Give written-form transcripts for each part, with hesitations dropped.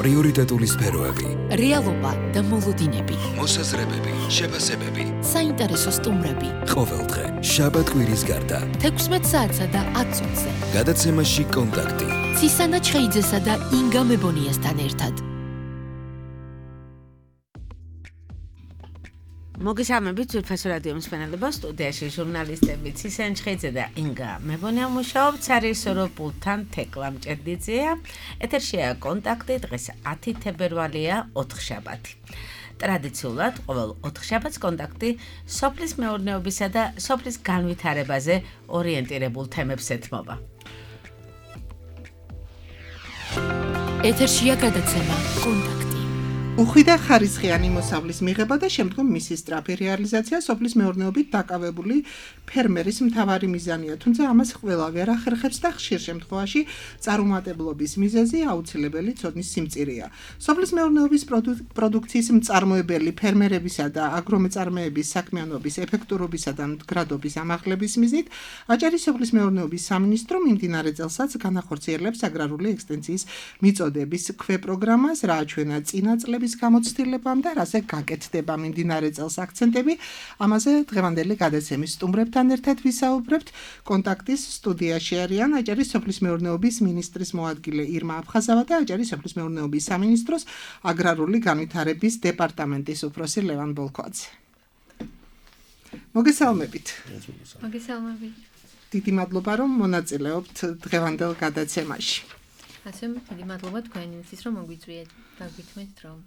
პრიორიტეტული სფეროები, რეალობა და მოლოდინები, მოსაზრებები, შეფასებები, საინტერესო სტუმრები. ყოველდღე, შაბათ-კვირის გარდა, 16 საათსა და 10 წუთზე. გადაცემაში კონტაქტი. ცისანა ჩხეიძესა და ინგა მებონიასთან ერთად. მოგესალმებით ძვირფასო რადიო მსმენელებო, სტუდიაში ჟურნალისტები ცისანა ჩხეიძე და ინგა მებონია მუშაობთ, სარისორო პულტთან თეკლა მჭედლიძეა. ეთერშია კონტაქტი, დღეს 10 თებერვალია, 4 შაბათი. ტრადიციულად ყოველ 4 შაბათს კონტაქტი სოფლის მეურნეობისა და სოფლის განვითარებაზე ორიენტირებულ თემებს ეთმობა. ეთერშია გადაცემა კონტაქტი. უხვი და ხარისხიანი მოსავლის მიღება და შემდგომ მისი სწრაფი რეალიზაცია სოფლის მეურნეობით დაკავებული ფერმერის მთავარი მიზანია, თუმცა ამას ყველა ვერ ახერხებს და ხშირ შემთხვევაში წარუმატებლობის მიზეზი აუცილებელი ცოდნის სიმწირეა. სოფლის მეურნეობის პროდუქციის მწარმოებელი ფერმერებისა და აგრომეწარმეების საქმიანობის ეფექტურობისა და მდგრადობის ამაღლების მიზნით აჭარის სოფლის მეურნეობის სამინისტრო მიმდინარე წელსაც განახორციელებს აგრარული ექსტენსიის მიწოდების ქვეპროგრამას, რა აჩვენა წინა წლების გამოცდილებამ და რაზე გაკეთდება მიმდინარე წელს აქცენტები. ამაზე დღევანდელი გადაცემის სტუმრებთან ერთად ვისაუბრებთ. კონტაქტის სტუდიაში არიან აჭარის სოფლის მეურნეობის მინისტრის მოადგილე ირმა აფხაზავა და აჭარის სოფლის მეურნეობის სამინისტროს აგრარული განვითარების დეპარტამენტის უფროსი ლევან ბოლქვაძე. მოგესალმებით. მოგესალმებით. დიდი მადლობა რომ მონაწილეობთ დღევანდელ გადაცემაში. ასე დიდი მადლობა თქვენთვის რომ მოგვიწვიეთ და გითხრით რომ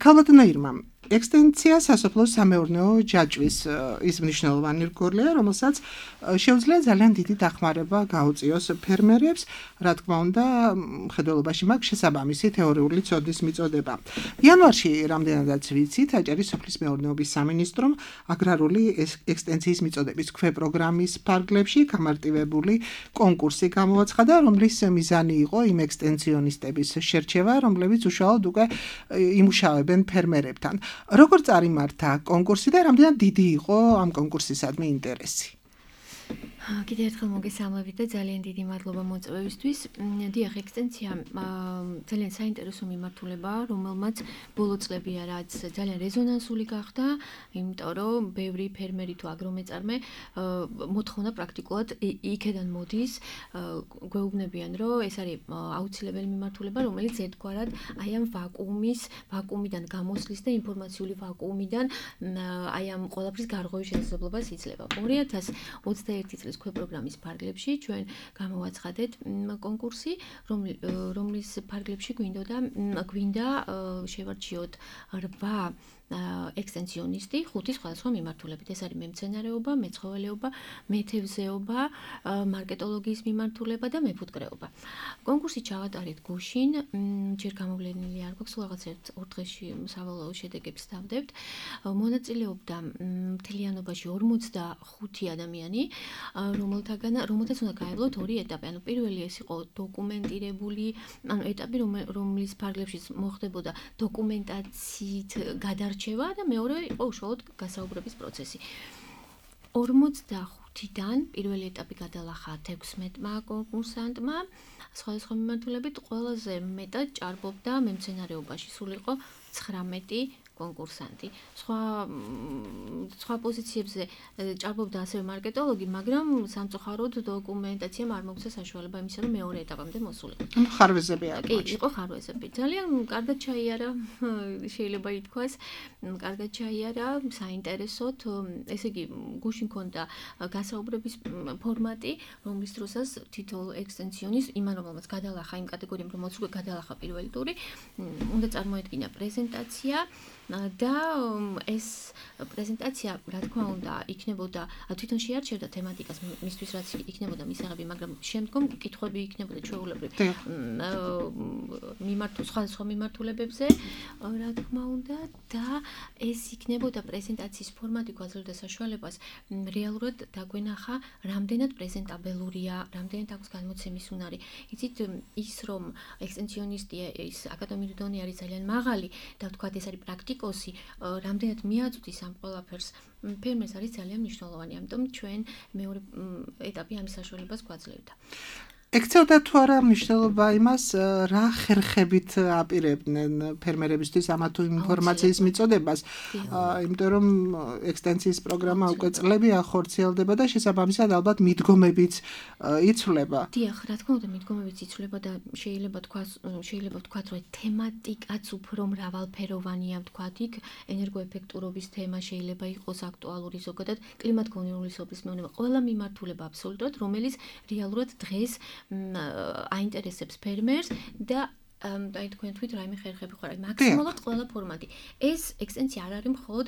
ქალბატონო ირმა, ექსტენსია სასოფლო სამეურნეო ჯაჭვის ის მნიშვნელოვანი რგოლია, რომელსაც შეუძლია ძალიან დიდი დახმარება გაუწიოს ფერმერებს, რა თქმა უნდა, მხედველობაში მაქვს შესაბამისი თეორიული ცოდნის მიწოდება. იანვარში, რამდენადაც ვიცით, აჭარის სოფლის მეურნეობის სამინისტრომ აგრარული ექსტენსიის მიწოდების ქვეპროგრამის ფარგლებში გამარტივებული კონკურსი გამოაცხადა, რომლის მიზანი იყო იმ ექსტენსიონისტების შერჩევა, რომლებიც უშუალოდ უკვე იმუშავებენ ფერმერებთან. როგორ წარიმართა კონკურსი და რამდენად დიდი იყო ამ კონკურსისადმი ინტერესი? კიდევ ერთხელ მოგესალმებით და ძალიან დიდი მადლობა მოწვევისთვის. დიახ, ექსტენსია ძალიან საინტერესო მიმართულებაა, რომელმაც ბოლო წლებია რაც ძალიან რეზონანსული გახდა, იმიტომ რომ ბევრი ფერმერი თუ აგრომეწარმე მოთხოვნა პრაქტიკულად იქედან მოდის, გვეუბნებიან, რომ ეს არის აუცილებელი მიმართულება, რომელიც ერთგვარად აი ამ ვაკუუმიდან გამოსვლის და ინფორმაციული ვაკუუმიდან აი ამ ყველაფრის გარღვევის შესაძლებლობას იძლევა. 2021 წლის ქვეპროგრამის ფარგლებში ჩვენ გამოვაცხადეთ კონკურსი, რომლის ფარგლებში გვინდა შევარჩიოთ 8 ექსტენსიონისტი 5 სხვადასხვა მიმართულებით. ეს არის მემცენარეობა, მეცხოველეობა, მეთევზეობა, მარკეტოლოგიის მიმართულება და მეფუტკრეობა. კონკურსი ჩავატარეთ გუშინ, ჯერ გამოვლენილი არ გვაქვს, რაღაც 1 დღეში სავალაო შედეგებს დავდებთ. მონაწილეობდა მთლიანობაში 45 ადამიანი, რომელთაც უნდა გაევლოთ 2 ეტაპი. ანუ პირველი ეს იყო დოკუმენტირებული, ანუ ეტაპი, რომლის ფარგლებშიც მოხდებოდა დოკუმენტაციით გადარჩევა და მეორე იყო უშუალოდ გასაუბრების პროცესი. 45-დან პირველი ეტაპი გადალახა 16-მა კონკურსანტმა, სხვადასხვა მიმართულებით ყველაზე მეტად ჭარბობდა მემცენარეობაში, სულ იყო 19 კონკურსანტი. სხვა პოზიციებზე ჭარბობდა ასევე მარკეტოლოგი, მაგრამ სამწუხაროდ დოკუმენტაციამ არ მოგცა საშუალება იმისა, რომ მეორე ეტაპამდე მოსულიყო. ხარვეზები არ კი, იყო ხარვეზები. ძალიან კარგად ჩაიარა, შეიძლება ითქვას, კარგად ჩაიარა, საინტერესოდ. ესე იგი, გუშინ ქონდა გასაუბრების ფორმატი, რომლის დროსაც თითოეულ ექსტენსიონის, იმან რომელმაც გადალახა იმ კატეგორიამ, რომელმაც უკვე გადალახა პირველი ტური, უნდა წარმოედგინა პრეზენტაცია. და ეს პრეზენტაცია, რა თქმა უნდა, იქნებოდა თვითონ შეარჩევდა თემატიკას მისთვის, რაც იქნებოდა მისაღები, მაგრამ შემდგომ კითხვები იქნებოდა ჩვეულებრივ სხვადასხვა მიმართულებებზე, რა თქმა უნდა, და ეს იქნებოდა პრეზენტაციის ფორმატი გვაძლევდა საშუალებას რეალურად დაგვენახა, რამდენად პრეზენტაბელურია, რამდენად აქვს გადმოცემის უნარი. იცით, ის რომ ექსტენსიონისტია, ის აკადემიური დონე არის ძალიან მაღალი და ვთქვათ, ეს არის პრაქტიკოსი, რამდენად მიაწვდის ამ ყველაფერს ფერმერს არის ძალიან მნიშვნელოვანი. ამიტომ ჩვენ მეორე ეტაპი ამის საშუალებას გვაძლევდა. ექცევდა თუ არა მნიშვნელობა იმას, რა ხერხებით აპირებდნენ ფერმერებისთვის ამა თუ იმ ინფორმაციის მიწოდებას, იმიტომ რომ ექსტენსიის პროგრამა უკვე წლები ახორციელდება და შესაბამისად ალბათ მიდგომებიც იცვლება. დიახ, რა თქმა უნდა, მიდგომებიც იცვლება და შეიძლება ვთქვათ, რომ თემატიკაც უფრო მრავალფეროვანია, ვთქვათ, იქ ენერგოეფექტურობის თემა შეიძლება იყოს აქტუალური ზოგადად კლიმატ-გონივრული სოფლის მეურნეობა, ყველა მიმართულება აბსოლუტურად, რომელიც რეალურად დღეს აინტერესებს ფერმერს და აი თქვენ თქვით რაიმე ხერხები ხო რა მაქსიმალურად ყველა ფორმატი. ეს ექსტენსია არ არის მხოლოდ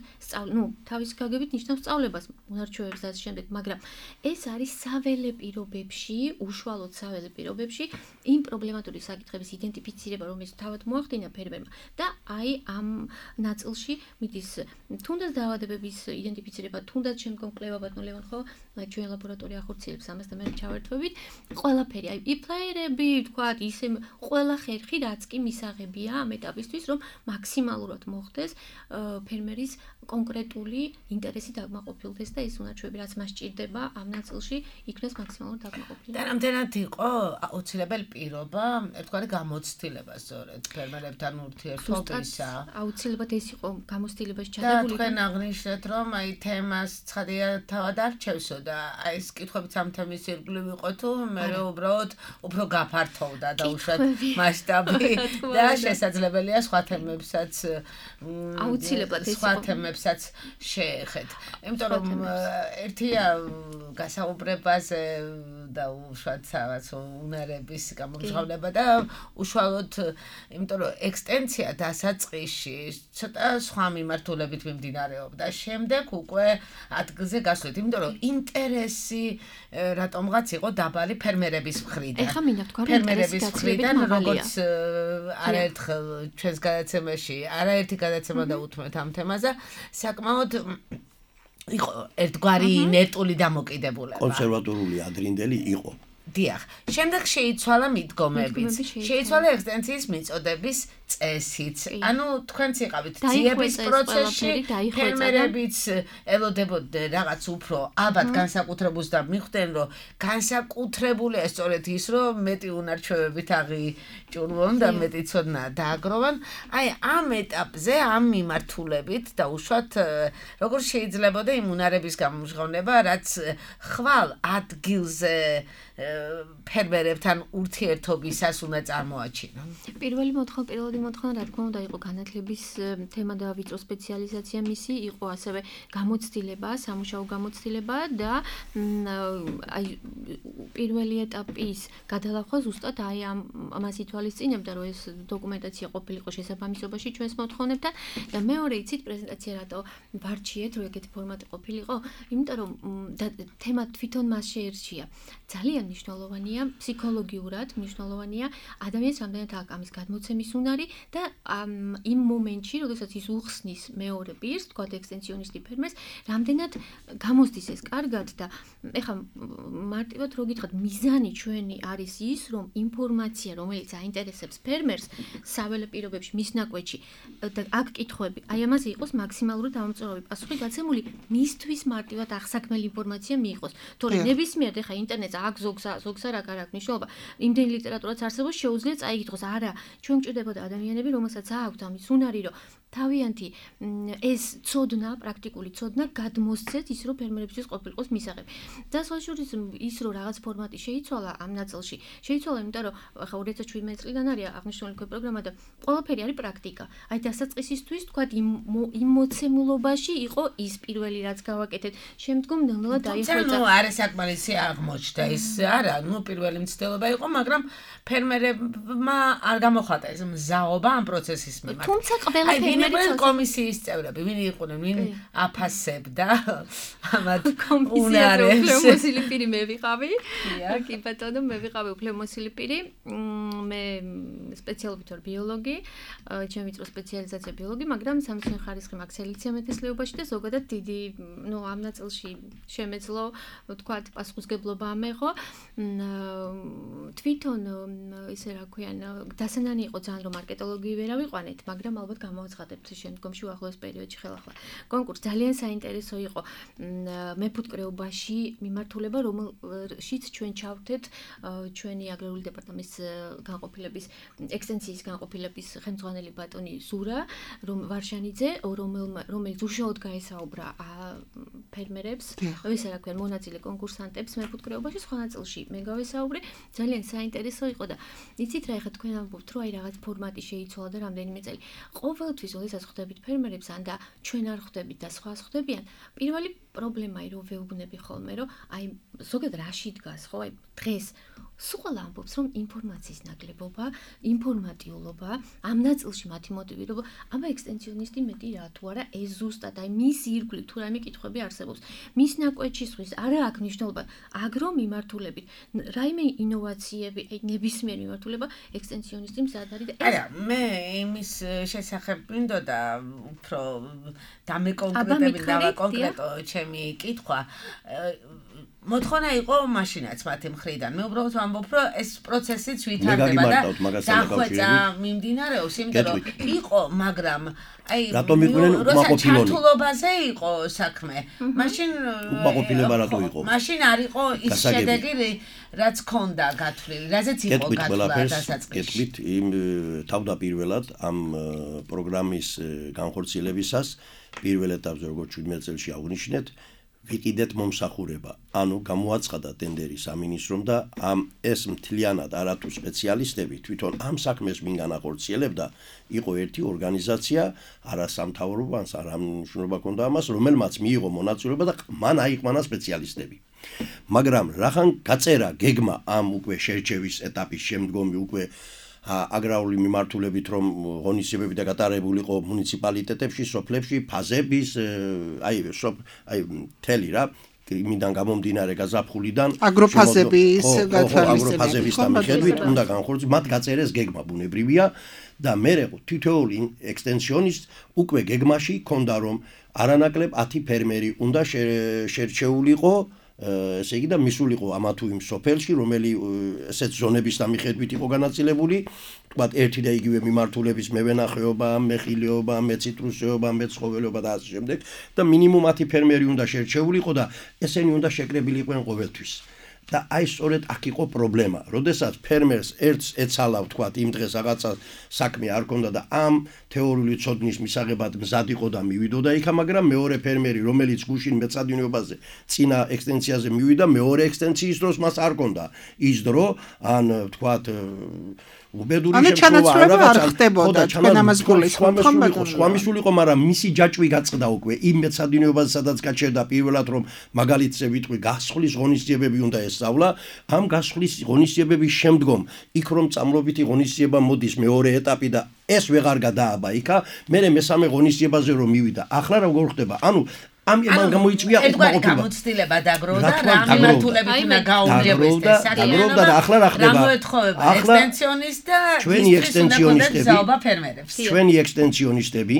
თავის გაგებით ნიშნავს სწავლებას, უნარჩვევებს და ასე შემდეგ, მაგრამ ეს არის საველე პირობებში, უშუალოდ საველე პირობებში იმ პრობლემატური საკითხების იდენტიფიცირება, რომელიც თავად მოახდინა ფერმერმა და აი ამ ნაწილში მიდის თუნდაც დაავადებების იდენტიფიცირება, თუნდაც შემდგომ კვლევა ბატონ ლევან ხო ჩვენ ლაბორატორია ახორციელებს ამას და მე ჩავერთვებით ყველაფერი, აი იფლაერები, თქვათ, ისე ყველა ხერხი რაც კი მისაღებია ამ ეტაპისთვის, რომ მაქსიმალურად მოხდეს ფერმერის კონკრეტული ინტერესი დაკმაყოფილდეს და ეს უნარჩვები, რაც მას ჭირდება ამ ნაწილში, იქნეს მაქსიმალურად დაკმაყოფილებული. და რამდენად იყო აუცილებელი პირობა, ერთგვარი გამოცდილება სწორედ ფერმერებთან ურთიერთობისა. აუცილებლად ეს იყო გამოცდილებაში და ჩადებული. თქვენ აღნიშნეთ, რომ აი თემას ცხადია თავად არჩევსო და აი ეს კითხვებიც ამ თემის ირგვლივ იყო თუ მე უბრალოდ უფრო გაფართოვდა და უშუალოდ მასშტაბი და შესაძლებელია სხვა თემებსაც აუცილებლად ეს სხვა თემებსაც შეეხეთ. იმიტომ რომ ერთია გასაუბრებაზე და უშუალოდ რაღაც უნარების გამომჟღავნება და უშუალოდ იმიტომ რომ ექსტენსია დასაწყისში ცოტა სხვა მიმართულებით მიმდინარეობდა. შემდეგ უკვე ადგილზე გასვლით, იმიტომ რომ ინტერესი რატომღაც იყო დაბალი ფერმერების მხრიდან. ეხლა მინდა ვთქვა, რომ ფერმერების მხრიდან როგორც არაერთხელ ჩვენს გადაცემაში არაერთი გადაცემა დაუთმეთ ამ თემაზე, საკმაოდ იყო ერთგვარი ინერტული დამოკიდებულება. კონსერვატორული ადრინდელი იყო. დიახ, შემდეგ შეიცვალა მიდგომებიც, შეიცვალა ექსტენსიის მიწოდების წესიც. ანუ თქვენც იყავით ძიების პროცესში, ფერმერებიც ელოდებოდნენ რაღაც უფრო ალბათ განსაკუთრებულს და მიხვდნენ, რომ განსაკუთრებულია სწორედ ის, რომ მეტი უნარჩვევებით აღიჭურვონ და მეტი ცოდნა დააგროვონ. აი ამ ეტაპზე, ამ მიმართულებით და უშუალოდ როგორ შეიძლებოდა იმ უნარების გამომჟღავნება, რაც ხვალ ადგილზე ფერმერებთან ურთიერთობისას უნდა წარმოაჩინონ. პირველი მოთხოვნა, რა თქმა უნდა, იყო განათლების თემა და ვიწრო სპეციალიზაცია მისი, იყო ასევე გამოცდილება, სამუშაო გამოცდილება და აი პირველი ეტაპის გადალახვა ზუსტად აი ამას ითვალისწინებდა, რომ ეს დოკუმენტაცია ყოფილიყო შესაბამისობაში ჩვენს მოთხოვნებთან და მეორე იცით პრეზენტაცია რატო ვარჩიეთ, რომ ეგეთი ფორმატი ყოფილიყო, იმიტომ რომ თემა თვითონ მას შეერჩია. ძალიან მნიშვნელოვანია, ფსიქოლოგიურად მნიშვნელოვანია ადამიანს რამდენად აქვს ამის გადმოცემის უნარი და იმ მომენტში, როდესაც ის უხსნის მეორე პირს, თქვათ ექსტენსიონისტი ფერმერს, რამდენად გამოსდის ეს კარგად და ეხლა მარტივად რო გითხრათ, მიზანი ჩვენი არის ის, რომ ინფორმაცია, რომელიც აინტერესებს ფერმერს საველე პირობებში მის ნაკვეთში და აქ კითხვები, აი ამაზე იყოს მაქსიმალური დამამწურავი პასუხი გაცემული, მისთვის მარტივად აღსაქმელი ინფორმაცია მიიღოს. თორემ ნებისმიერ ეხლა ინტერნეტზე აქ ზოგს არ აქვს მნიშვნელობა. იმდენი ლიტერატურაც არსებობს, შეუძლია წაიგითხოს. არა, ჩვენ გვჭირდებოდა ადამიანები, რომელსაც აქვთ ამის უნარი, რომ თავიანთი ეს ცოდნა, პრაქტიკული ცოდნა გადმოსცეთ ის, რომ ფერმერებისთვის ყოფილიყოს მისაღები. და სხვაშორის ის, რომ რაღაც ფორმატი შეიცვალა ამ ნაწილში, შეიცვალა, იმიტომ რომ ახლა 2017 წლიდან არის აღნიშნული პროგრამა და ყველაფერი არის პრაქტიკა. აი დასაწყისისთვის, თქვათ, იმ მოცემულობაში იყო ის პირველი, რაც გავაკეთეთ. შემდგომ ნელ-ნელა დაიხვეწა. ნუ არა საკმარისი აღმოჩნდა ის, არა, ნუ პირველი მცდელობა იყო, მაგრამ ფერმერებმა არ გამოხატა ეს მზაობა ამ პროცესის მიმართ. თუმცა ყველა ფერმერი კომისიის წევრები, ვინ იყვნენ, ვინ აფასებდა ამათ უნარებს. უფლებამოსილი პირი მე ვიყავი. კი ბატონო, მე ვიყავი უფლებამოსილი პირი. მე სპეციალობით ვარ ბიოლოგი, ჩემი ვიწრო სპეციალიზაცია ბიოლოგი, მაგრამ სამეცნიერო ხარისხი მაქვს სელექცია მეთესლიობაში და ზოგადად დიდი, ამ ნაწილში შემეძლო, ვთქვათ, პასუხისგებლობა ამეღო. თვითონ ისე რა ქვიან, დასანანი იყო ძალიან რომ მარკეტოლოგი ვერ ავიყვანეთ, მაგრამ ალბათ გამოაცხადა გავხატებთ შემდგომში უახლოეს პერიოდში ხელახლა. კონკურსი ძალიან საინტერესო იყო მეფუტკრეობაში მიმართულება, რომელშიც ჩვენ ჩავთეთ ჩვენი აგრარული დეპარტამენტის განყოფილების ექსტენსიის განყოფილების ხელმძღვანელი ბატონი ზურა ვარშანიძე, რომელიც უშუალოდ გაესაუბრა ფერმერებს, ეს რა ქვია, მონაწილე კონკურსანტებს მეფუტკრეობაში, სხვა ნაწილში მე გავესაუბრე, ძალიან საინტერესო იყო და იცით რა, ეხლა თქვენ ამბობთ, რომ აი რაღაც ფორმატი შეიცვალა და რამდენიმე წელი. ყოველთვის, როდესაც ხვდებით ფერმერებს, ან და ჩვენ არ ხვდებით და სხვა ხვდებიან, პირველი პრობლემაა, რომ ვეუბნები ხოლმე, რომ აი ზოგადად რაში დგას, ხო, აი დღეს სულ ამბობს, რომ ინფორმაციის ნაკლებობა, ინფორმატიულობა, ამ ნაწილში მათი მოტივი, რომ აბა ექსტენსიონისტი მეტი რა თუ არა, ეს ზუსტად აი მის ირგვლივ თუ რაიმე კითხვები არსებობს. მის ნაკვეთში სხვის არა აქვს მნიშვნელობა აგრო მიმართულებით, რაიმე ინოვაციები, აი ნებისმიერი მიმართულება ექსტენსიონისტი მზად არის და არა, მე იმის შესახებ მინდოდა უფრო დამეკონკრეტო ჩემი კითხვა. მოთხოვნა იყო მაშინაც მათი მხრიდან. მე უბრალოდ ვამბობ, რომ ეს პროცესიც ვითარდება და დახვეწა მიმდინარეობს, იმიტომ რომ იყო, მაგრამ აი რატომ იყვნენ უკმაყოფილონი? ჩართულობაზე იყო საქმე. მაშინ უკმაყოფილება რატო იყო? მაშინ არ იყო ის შედეგი, რაც ქონდა გათვლილი, რაზეც იყო გათვლა დასაწყისში. გეტყვით იმ თავდაპირველად ამ პროგრამის განხორციელებისას პირველ ეტაპზე როგორც 17 წელს აღნიშნეთ ვიყიდეთ მომსახურება. ანუ გამოაცხადა ტენდერი სამინისტრომ და ეს მთლიანად არათუ სპეციალისტები თვითონ ამ საქმეს ვინ განახორციელებდა, იყო ერთი ორგანიზაცია, არასამთავრობო, არა მნიშვნელობა ჰქონდა ამას, რომელმაც მიიღო მონაწილეობა და მან აიყვანა სპეციალისტები. მაგრამ რახან გაწერა გეგმა ამ უკვე შერჩევის ეტაპის შემდგომი უკვე აგრარული მიმართულებით რომ ღონისძიებები და გატარებული იყო მუნიციპალიტეტებში, სოფლებში, ფაზების, აი მთელი რა იმიდან გამომდინარე გაზაფხულიდან აგროფაზების აგროფაზების მიხედვით უნდა განხორციელოს, მათ გაწერეს გეგმა ბუნებრივია და მე თითოეული ექსტენსიონისტ უკვე გეგმაში ქონდა რომ არანაკლებ 10 ფერმერი უნდა შერჩეულიყო, ესე იგი და მისულიყო ამა თუ იმ სოფელში, რომელი ესეთ ზონების მიხედვით იყო განაწილებული, თქვათ ერთი და იგივე მიმართულების მევენახეობა, მეხილეობა, მეციტრუსეობა, მეცხოველეობა და ასე შემდეგ და მინიმუმ 10 ფერმერი უნდა შერჩეულიყო და ესენი უნდა შეკრებილი იყვნენ ყოველთვის. და აი სწორედ აქ იყო პრობლემა. როდესაც ფერმერს ერთს ეცალა, თქვათ, იმ დღეს რაღაცა საქმე არ ქონდა და ამ თეორიული ცოდნის მისაღებად მზად იყო და მივიდოდა იქა, მაგრამ მეორე ფერმერი, რომელიც გუშინ მეცადინეობაზე წინა ექსტენსიაზე მივიდა, მეორე ექსტენსიის დროს მას არ ქონდა ის დრო, ან თქვათ უბედური შემთხვევა არ ხდებოდა, თქვენ ამას გულისხმობთ, სხვა მისულიყო, მაგრამ მისი ჯაჭვი გაწყდა უკვე იმ მეცადინეობაზე, სადაც გაჩერდა პირველად რომ მაგალითზე ვიტყვი გასხლის ღონისძიებები უნდა ესწავლა, ამ გასხლის ღონისძიებების შემდგომ იქ რომ წამლობითი ღონისძიება მოდის მეორე ეტაპი და ეს ვეღარ გადააბა იქა, მერე მესამე ღონისძიებაზე რომ მივიდა. ახლა როგორ ხდება? ანუ ამან გამოიწვია უკმაყოფილება. გამოცდილება დაგროვდა რა მიმართულებით უნდა გაუმჯობესდეს დაგროვდა და ახლა რა ხდება? ახლა ექსტენსიონისტ და ჩვენი ექსტენსიონისტები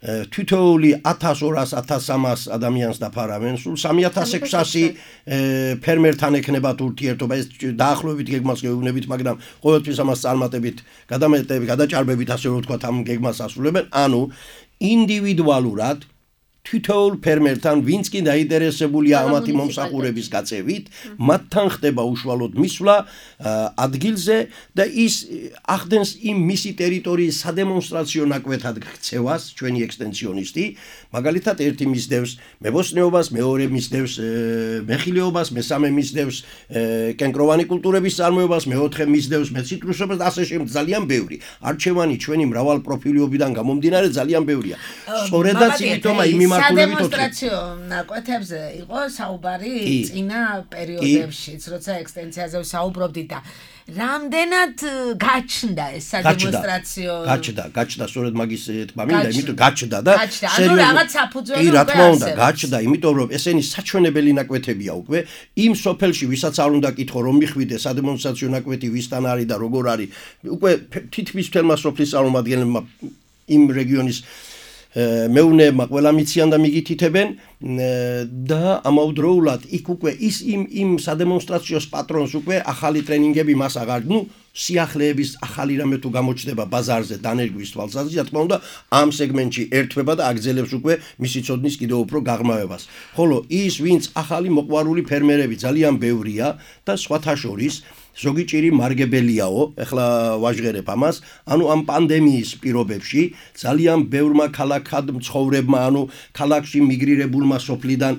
თითოეული 1200-1300 ადამიანს დაფარავენ, სულ 3600 ფერმერთან ექნებათ ურთიერთობა, ეს დაახლოებით გეგმას გეუბნებით, მაგრამ ყოველთვის ამას წარმატებით, გადაჭარბებით ასე რომ ვთქვათ ამ გეგმას ასრულებენ, ანუ ინდივიდუალურად თითოეულ ფერმერთან, ვინც კი დაინტერესებულია ამათი მომსახურების გაწევით, მათთან ხდება უშუალოდ მისვლა ადგილზე და ის ახდენს იმ მისი ტერიტორიის სადემონსტრაციო ნაკვეთად ქცევას, ჩვენი ექსტენსიონისტი, მაგალითად ერთი მისდევს მებოსტნეობას, მეორე მისდევს მეხილეობას, მესამე მისდევს კენკროვანი კულტურების წარმოებას, მეოთხე მისდევს მეციტრუსობას და ასე შემდეგ, ძალიან ბევრი. არჩევანი ჩვენი მრავალპროფილიობიდან გამომდინარე ძალიან ბევრია. სწორედაც იმიტომ იმ სადემონსტრაციო ნაკვეთებზე იყო საუბარი წინა პერიოდებშიც, როცა ექსტენსიაზე საუბრობდით და რამდენად გაჩნდა ეს სადემონსტრაციო გაჩნდა სწორედ მაგის თქმა მინდა, იმიტომ გაჩნდა და სერიოზულად რაღაც საფუძველი კი რა თქმა უნდა გაჩნდა, იმიტომ რომ ესენი საჩვენებელი ნაკვეთებია უკვე იმ სოფელში, ვისაც არ უნდა კითხო რომ მიხვიდე სადემონსტრაციო ნაკვეთი ვისთან არის და როგორ არის, უკვე თითქმის მთელმა სოფლის წარმომადგენლებმა იმ რეგიონის მეუნეებმა ყველა მიციან და მიგითითებენ და ამავდროულად იქ უკვე ის იმ სადემონსტრაციოს პატრონს უკვე ახალი ტრენინგები მას აღარ, სიახლეების ახალი რამე თუ გამოჩნდება ბაზარზე დანერგვის თვალსაზრისით, რა თქმა უნდა, ამ სეგმენტში ერთვება და აგრძელებს უკვე მისი ცოდნის კიდევ უფრო გაღრმავებას. ხოლო ის, ვინც ახალი მოყვარული ფერმერები ძალიან ბევრია და სხვათა შორის ზოგი ჭირი მარგებელიაო, ეხლა ვაჟღერებ ამას, ანუ ამ პანდემიის პირობებში ძალიან ბევრმა ქალაქად მცხოვრებმა, ანუ ქალაქში მიგრირებულმა სოფლიდან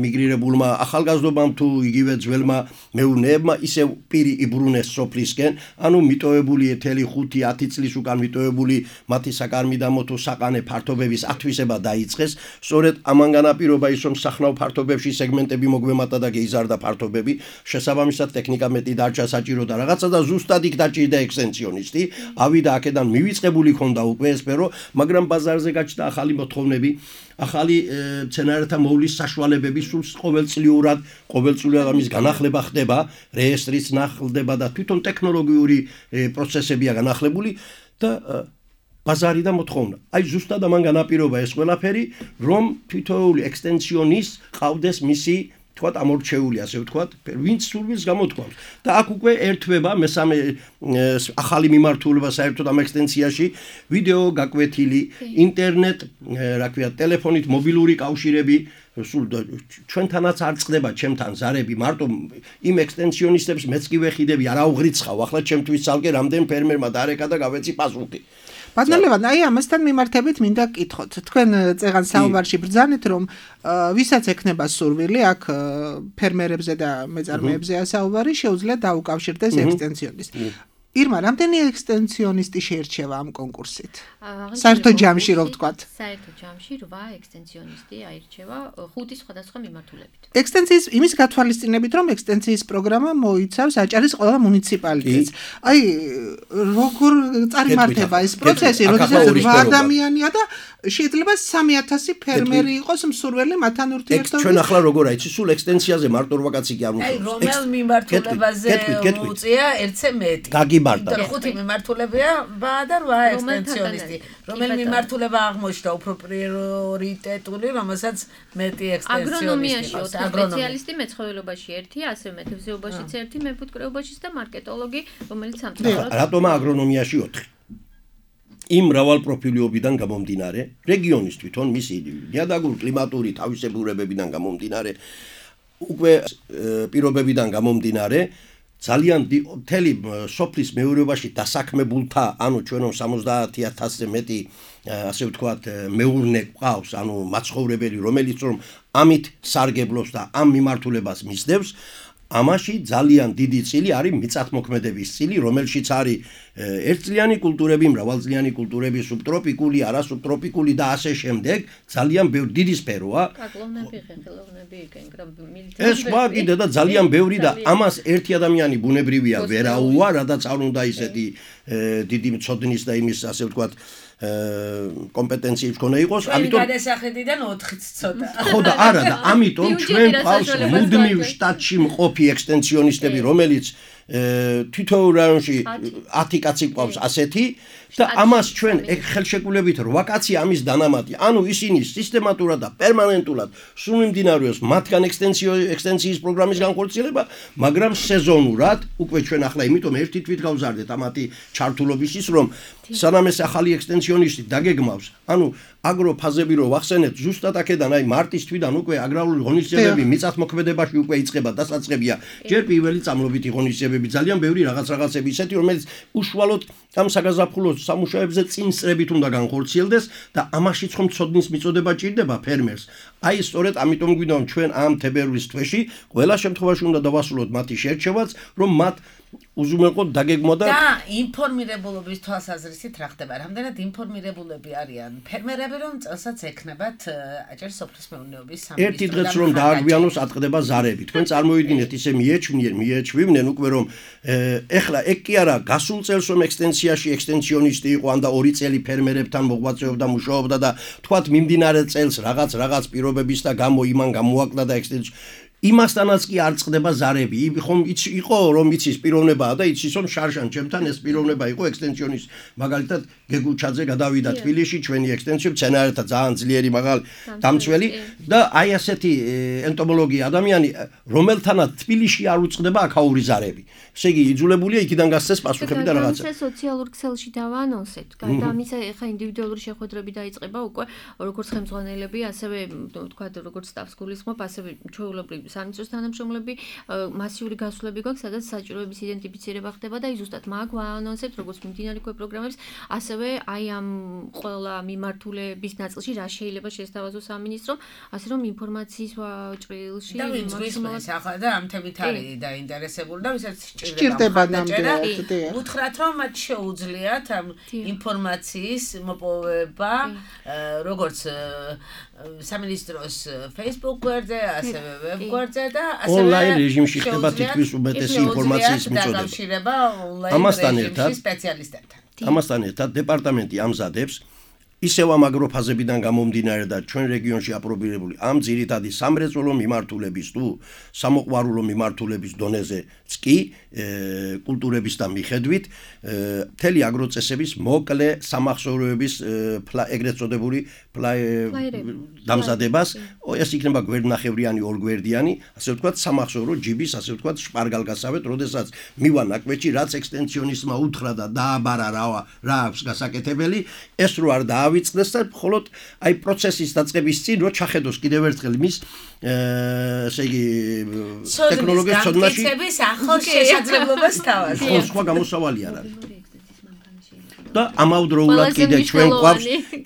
მიგრირებულმა ახალგაზრდობამ თუ იგივე ძველმა მეურნეებმა ისევ პირი იბრუნეს სოფლისკენ, ანუ მიტოვებული 5-10 წლის უკან მიტოვებული მათი საკარმიდამო თუ საყანე ფართობების ათვისება დაიწყეს, სწორედ ამან განაპირობა ის, რომ სახნავ ფართობებში სეგმენტები მოგვემატა და გეიზარდა ფართობები, შესაბამისად ტექნიკა მეტი დარჩა საჭირო და რაღაცა და ზუსტად იქ დაჭირდა ექსტენსიონისტი, ავიდა აქედან მივიწყებული ქონდა უკვე ესპერო, მაგრამ ბაზარზე გაჩნდა ახალი მოთხოვნები, ახალი მცენარეთა მოვლის საშუალებები, სულ ყოველწლიურად ამის განახლება ხდება, რეესტრიც ნახლდება და თვითონ ტექნოლოგიური პროცესებია განახლებული და ბაზარი და მოთხოვნა. აი ზუსტად ამან განაპირობა ეს ყველაფერი, რომ თითოეული ექსტენსიონის ყავდეს მისი თქვათ ამორჩეული, ასე ვთქვათ, ვინც სურვილს გამოთქვამს. და აქ უკვე ერთვება მესამე ახალი მიმართულება საერთოდ ამ ექსტენსიაში, ვიდეო გაკვეთილი, ინტერნეტ, რა ქვია, ტელეფონით მობილური კავშირები, სულ ჩვენთანაც არ წყდება ჩემთან ზარები, მარტო იმ ექსტენსიონისტებს მეც კი ვეხიდები, არა უღრიცხავ, ახლა ჩემთვის ცალკე რამდენ ფერმერმა დაარეკა და გავეცი პასუხი. ბატონო ლევან, აი ამასთან მიმართებით მინდა გკითხოთ. თქვენ წეგან საუბარში ბრძანეთ, რომ ვისაც ექნება სურვილი, აქ ფერმერებზე და მეწარმეებზეა საუბარი, შეუძლია დაუკავშირდეს ექსტენსიონისტს. ირმა, რამდენი ექსტენსიონისტი შეირჩევა ამ კონკურსით? საერთო ჯამში რო ვთქვათ. საერთო ჯამში 8 ექსტენსიონისტი აირჩევა 5 სხვადასხვა მიმართულებით. ექსტენსიის იმის გათვალისწინებით, რომ ექსტენსიის პროგრამა მოიცავს აჭარის ყველა მუნიციპალიტეტს. აი, როგორ წარიმართება ეს პროცესი, როდესაც 8 ადამიანია და შეიძლება 3000 ფერმერი იყოს მსურველი მათთან ურთიერთობით. ჩვენ ახლა როგორ აიცი, სულ ექსტენსიაზე მარტო რვაკაცი კი არ აი, რომელ მიმართულებაზე უწია ერთზე მეტი. გაგიბარდა. 5 მიმართულებია და 8 ექსტენსიონისტი. რომელ მიმართულება აღმოჩნდა უფრო პრიორიტეტული, რომელსაც მეტი ექსტენსიონისტი ყავს. სპეციალისტი მეცხოველობაში ერთი, ასევე მეთევზეობაშიც ერთი, მეფუტკრეობაშიც და მარკეტოლოგი, რომელიც სამწუხაროდ. რატომა აგრონომიაში 4? იმ მრავალპროფილიობიდან გამომდინარე, რეგიონის თვითონ მისი ნიადაგურ კლიმატური თავისებურებებიდან გამომდინარე, უკვე პირობებიდან გამომდინარე, ძალიან მთელი სოფლის მეურნეობაში დასაქმებულთა, ანუ ჩვენ 70,000-ზე მეტი, ასე ვთქვათ, მეურნე ყავს, ანუ მაცხოვრებელი, რომელიც რომ ამით სარგებლობს და ამ მიმართულებას მისდევს, ამაში ძალიან დიდი წილი არის მიწათმოქმედების წილი, რომელშიც არის ერთწლიანი კულტურები, მრავალწლიანი კულტურები, სუბტროპიკული, არასუბტროპიკული და ასე შემდეგ, ძალიან ბევრი დიდი სფეროა. კაკლოვნები, ხეხილოვნები, კენკრამილი. ეს სხვა კიდე და ძალიან ბევრი და ამას ერთი ადამიანი ბუნებრივია ვერაუა, რადგან არ უნდა ისეთი დიდი მწოდნის და იმის, ასე ვთქვათ, კომპეტენციებს ქონა იყოს, ამიტომ გადასახედიდან 4-იც ცოტა. ხო და არა და ამიტომ ჩვენ ყავს მუდმივ შტატში მყოფი ექსტენსიონისტები, რომელიც თითოეულ რაიონში 10 კაცი ყავს ასეთი და ამას ჩვენ ხელშეკრულებით 8 კაცი ამის დანამატი. ანუ ისინი სისტემატურად და პერმანენტულად სულ მიმდინარეობს მათგან ექსტენსიის პროგრამის განხორციელება, მაგრამ სეზონურად უკვე ჩვენ ახლა იმიტომ ერთი თვით გავზარდეთ ამათი ჩართულობისის, რომ სანამ ეს ახალი ექსტენსიონისტი დაგეგმავს, ანუ აგროფაზები რო ვახსენეთ, ზუსტად აქედან აი მარტის თვიდან უკვე აგრარული ღონისძიებები მიწათმოქმედებაში უკვე იწყება, დასაწყებია. ჯერ პირველი წამლობითი ღონისძიებები, ძალიან ბევრი რაღაცები ისეთი, რომელიც უშუალოდ ამ საგაზაფხულო სამუშაოებზე წინსწრებით უნდა განხორციელდეს და ამაშიც ხომ ცოდნის მიწოდება ჭირდება ფერმერს. აი სწორედ ამიტომ გვინდა რომ ჩვენ ამ თებერვლის თვეში ყველა შემთხვევაში უნდა დავასრულოთ მათი შერჩევაც, რომ მათ უზრუნველყოთ დაგეგმვა და ინფორმირებულობის თვალსაზრისით რა ხდება? რამდენად ინფორმირებულები არიან ფერმერები, რომ წელსაც ექნებათ აჭარის სოფლის მეურნეობის სამინისტრო. ერთი დღეც რომ დააგვიანოს ატყდება ზარები. თქვენ წარმოიდგინეთ ისე მიეჩვივნენ უკვე რომ ეხლა ეგ კი არა გასულ წელს რომ ექსტენსიაში ექსტენსიონისტი იყო, ან და 2 წელი ფერმერებთან მოღვაწეობდა, მუშაობდა და თქვათ მიმდინარე წელს რაღაც პირობების და გამო იმან გამოაკლა და იმასთანაც კი არ წყდება ზარები. ხომ იყო რომ იცის პიროვნებაა და იცის რომ შარშან ჩემთან ეს პიროვნება იყო ექსტენსიონის მაგალითად გეგუჩაძე გადავიდა თბილისში ჩვენი ექსტენსიო მცენარეთა ძალიან ძლიერი მაღალი დამცველი და აი ასეთი ენტომოლოგი ადამიანი რომელთანაც თბილისში არ უწყდება აქაური ზარები. ესე იგი იძულებულია იქიდან გასცეს პასუხები და რაღაცა. ეს სოციალურ ქსელში დავაანონსეთ. გარდა ამისა ეხა ინდივიდუალური შეხვედრები დაიწყება უკვე როგორც ხელმძღვანელები, ასევე თქვა როგორც სტაფს გულისხმობ, ასევე ჩვეულებრივ სამინისტროს თანამშრომლები მასიური გასვლები გვაქვს, სადაც საჭიროების იდენტიფიცირება ხდება და ზუსტად მაგ ვაანონსებთ როგორც მიმდინარე პროგრამებს, ასევე აი ამ ყველა მიმართულების ნაწილში რა შეიძლება შესთავაზოს სამინისტრო, ასე რომ ინფორმაციის ჭრილში და ვინც გვისმენს ახლა და ამ თემით არის დაინტერესებული და ვისაც სჭირდება ნამდვილად. უთხრათ რომ მათ შეუძლიათ ამ ინფორმაციის მოპოვება როგორც სამინისტროს Facebook გვერდზე, ასევე ვებ გვერდზე და ასევე ონლაინ რეჟიმში ხდება თითქმის უბედესი ინფორმაციის მიწოდება. ამასთან ერთად სპეციალისტებთან. ამასთან ერთად დეპარტამენტი ამზადებს ისევ ამ აგროფაზებიდან გამომდინარე და ჩვენ რეგიონში აპრობირებული ამ ძირითადი სამრეწველო მიმართულების თუ სამოყვარულო მიმართულების დონეზეც კი კულტურების და მიხედვით მთელი აგროწესების მოკლე სამახსოვროების ეგრეთ წოდებული დამზადებას ეს იქნება გვერდნახევრიანი ორგვერდიანი ასე ვთქვათ სამახსოვრო ჯიბის ასე ვთქვათ შპარგალგასავეთ როდესაც მივა ნაკვეთში რაც ექსტენსიონისტმა უთხრა და დააბარა რა აქვს გასაკეთებელი ეს რო არ დავიწყდეს და მხოლოდ აი პროცესის დაწყების წინ რო ჩახედოს კიდევ ერთხელ მის ესე იგი ტექნოლოგიის ცოდნაში ახალ შესაძლებლობას თავაზია. სხვა გამოსავალი არ არის. და ამავდროულად კიდე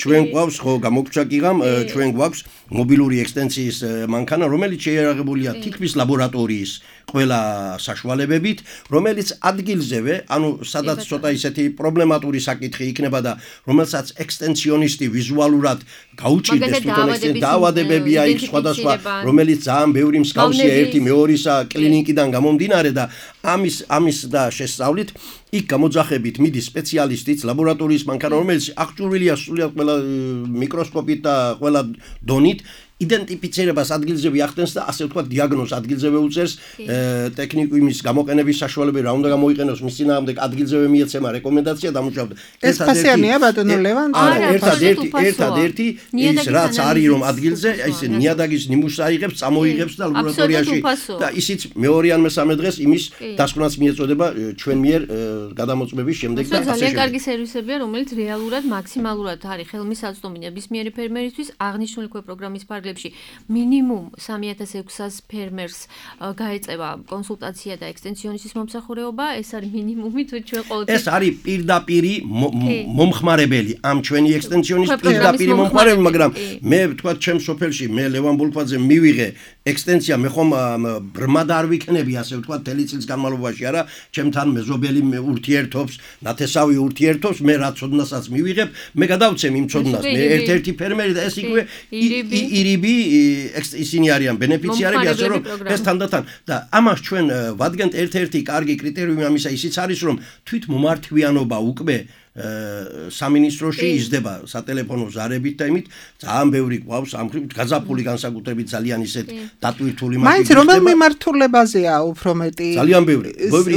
ჩვენ გვაქვს ხო გამოგჩა კიღამ ჩვენ გვაქვს მობილური ექსტენსიის მანქანა რომელიც შეიარაღებულია თითქმის ლაბორატორიის ყველა საშუალებებით რომელიც ადგილზევე ანუ სადაც ცოტა ისეთი პრობლემატური საკითხი იქნება და რომელსაც ექსტენსიონისტი ვიზუალურად გაუჭირდეს თვითონ ექსტენსიო დაავადებებია იქ სხვადასხვა რომელიც ძალიან ბევრი მსგავსია ერთი მეორისა კლინიკიდან გამომდინარე და ამის და შესწავლით იქ გამოძახებით მიდის სპეციალისტიც ლაბორატორიის მანქანა რომელიც აღჭურვილია სულიად ყველა მიკროსკოპით და ყველა დონით იდენტიფიცირებას ადგილზევე ახდენს და ასე ვთქვათ დიაგნოზს ადგილზევე უწევს ტექნიკუმის გამოყენების საშუალებები რა უნდა გამოიყენოს მის წინააღმდეგ ადგილზევე მიეცემა რეკომენდაცია დამუშავდა ეს ფასიანია ბატონო ლევან ერთადერთი ის რაც არის რომ ადგილზე ესე ნიადაგის ნიმუშს აიღებს წამოიღებს და ლაბორატორიაში და ისიც მეორე ან მესამე დღეს იმის დასკვნას მიეწოდება ჩვენ მიერ გადამოწმების შემდეგ და ასე ძალიან კარგი სერვისებია რომელიც რეალურად მაქსიმალურად არის ხელმისაწვდომი ნებისმიერი ფერმერისთვის აღნიშნული პროგრამის ფარგლებში მინიმუმ 3600 ფერმერს გაეწევა კონსულტაცია და ექსტენსიონისტის მომსახურება ეს არის მინიმუმი თუ ჩვენ ყოველთვის ეს არის პირდაპირი მომხმარებელი ამ ჩვენი ექსტენსიონის პირდაპირი მომხმარებელი მაგრამ მე ვთქვათ ჩემ სოფელში მე ლევან ბოლქვაძე მივიღე ექსტენსია მე ხომ ბრმად არ ვიქნები ასე ვთქვათ თელი წლის განმავლობაში არა ჩემთან მეზობელი ურთიერთობს ნათესავი ურთიერთობს მე რა ცოდნასაც მივიღებ მე გადავცემ იმ ცოდნას მე ერთ-ერთი ფერმერი და ეს იქვე ირიბი ისინი არიან ბენეფიციარები ასე რომ ეს თანდათან და ამას ჩვენ ვადგენთ ერთ-ერთი კარგი კრიტერიუმი ამისა ისიც არის რომ თვით მომართვიანობა უკვე სამინისტროში იზრდება სატელეფონო ზარებით და იმით ძალიან ბევრი გვაქვს ამ გაზაფხული განსაკუთრებით ძალიან ისეთ დატვირთული მაინც რომელ მიმართულებაზეა უფრო მეტი ძალიან ბევრი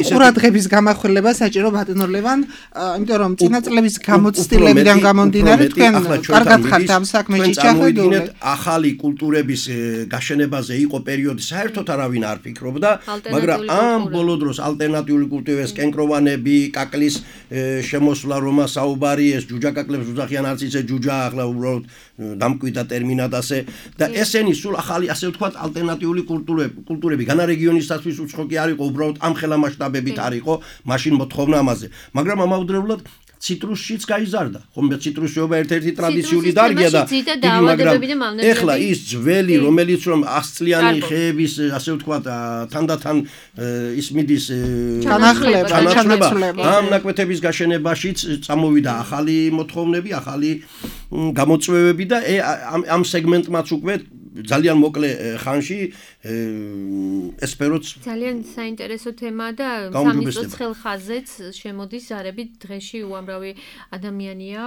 ყურადღების გამახვილება საჭირო ბატონო ლევან იმიტომ რომ წინა წლების გამოცდილებიდან გამომდინარე თქვენ კარგად ხართ ამ საქმეში ჩახედული ახალი კულტურების გაშენებაზე იყო პერიოდი საერთოდ არავინ არ ფიქრობდა მაგრამ ამ ბოლო დროს ალტერნატიული კულტურების კენკროვანები კაკლის შემოსვლა რომა საუბარი ეს ჯუჯაკაკლებს უძახიან არც ისე ჯუჯა ახლა უბრალოდ დამკვიდა ტერმინად ასე და ესენი სულ ახალი ასე ვთქვათ ალტერნატიული კულტურები განა რეგიონისათვის უცხოი არ იყო უბრალოდ ამ ხელა მასშტაბებით არ იყო მაშინ მოთხოვნა ამაზე მაგრამ ამავდროულად ციტრუსშიც გაიზარდა ხომ ციტრუსიობა ერთ-ერთი ტრადიციული დარგია და მაგრამ ეხლა ის ძველი რომელიც რომ 100 წლიანი ხეების ასე ვთქვათ თანდათან ის მიდის ჩანაცვლება ამ ნაკვეთების გაშენებაშიც წამოვიდა ახალი მოთხოვნები ახალი გამოწვევები და ამ სეგმენტმაც უკვე ძალიან მოკლე ხანში ესპეროც ძალიან საინტერესო თემაა და სამინისტროს ხელხაზეც შემოდის ზარებით დღეში უამრავი ადამიანია